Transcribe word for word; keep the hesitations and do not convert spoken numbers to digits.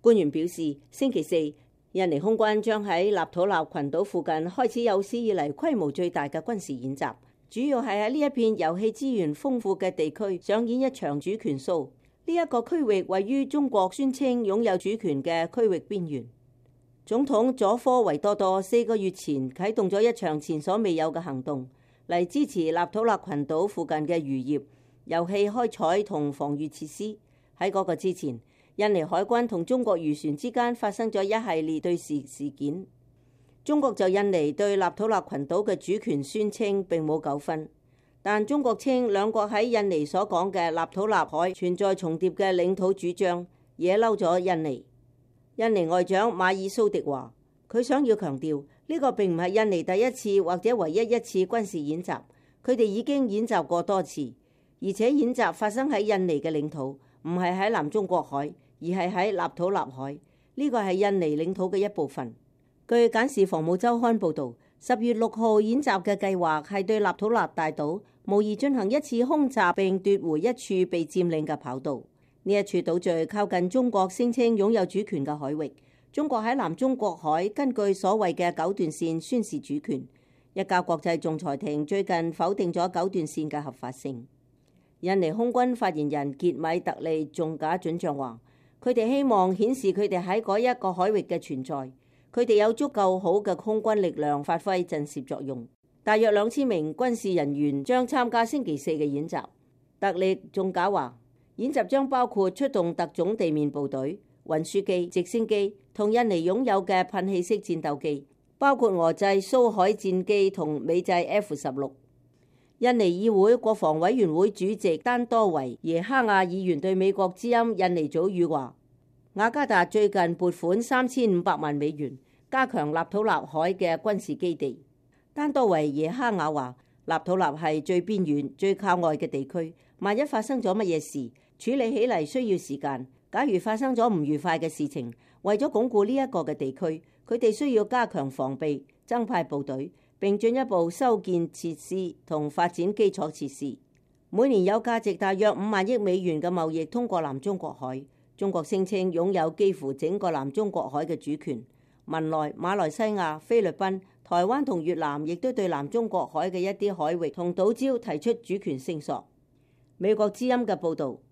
官員表示，星期四，印尼空軍將喺納土納群島附近開始有史以嚟規模最大嘅軍事演習，主要係喺呢一片油氣資源豐富嘅地區上演一場主權 show。呢一個區域位於中國宣稱擁有主權嘅區域邊緣。總統佐科維多多四個月前啟動咗一場前所未有嘅行動，嚟支持納土納群島附近嘅漁業、油氣開採同防禦設施。喺嗰個之前，印尼海軍同中國漁船之間發生咗一系列對峙事件。中國就印尼對納土納群島嘅主權宣稱並冇糾紛，但中國稱兩國喺印尼所講嘅納土納海存在重疊嘅領土主張，惹嬲咗印尼。印尼外長馬爾蘇迪話，佢想要強調呢個並唔係印尼第一次或者唯一一次軍事演習，佢哋已經演習過多次，而且演習發生喺印尼嘅領土，唔係喺南中國海，而係喺納土納海。呢個係印尼領土嘅一部分。據簡氏防務週刊報導，十月六號演習嘅計劃係對納土納大島模擬進行一次空襲並奪回一處被佔領嘅跑道。呢一處島嶼靠近中國聲稱擁有主權嘅海域，中國喺南中國海根據所謂嘅九段線宣示主權。一家國際仲裁庭最近否定咗九段線嘅合法性。印尼空軍發言人傑米特利仲假准將話，佢哋希望顯示佢哋喺嗰一個海域嘅存在，佢哋有足夠好嘅空軍力量發揮震懾作用。大約兩千名軍事人員將參加星期四嘅演習。特利仲假話，演習將包括出動特種地面部隊、運輸機、直升機同印尼擁有嘅噴氣式戰鬥機，包括俄製蘇海戰機同美製 F 十六。印尼議會國防委員會主席丹多維耶哈亞議員對美國之音印尼組語話，雅加達最近撥款三千五百萬美元加強納土納海嘅軍事基地。丹多維耶哈亞話，納土納係最邊遠、最靠外嘅地區，萬一發生咗乜嘢事，處理起嚟需要時間。假如發生咗唔愉快嘅事情，為咗鞏固呢一個嘅地區，佢哋需要加強防備、增派部隊，並進一步修建設施同發展基礎設施。每年有價值大約五萬億美元嘅貿易通過南中國海。中國聲稱擁有幾乎整個南中國海嘅主權。文萊、馬來西亞、菲律賓、台灣同越南亦都對南中國海嘅一啲海域同島礁提出主權聲索。美國之音嘅報導。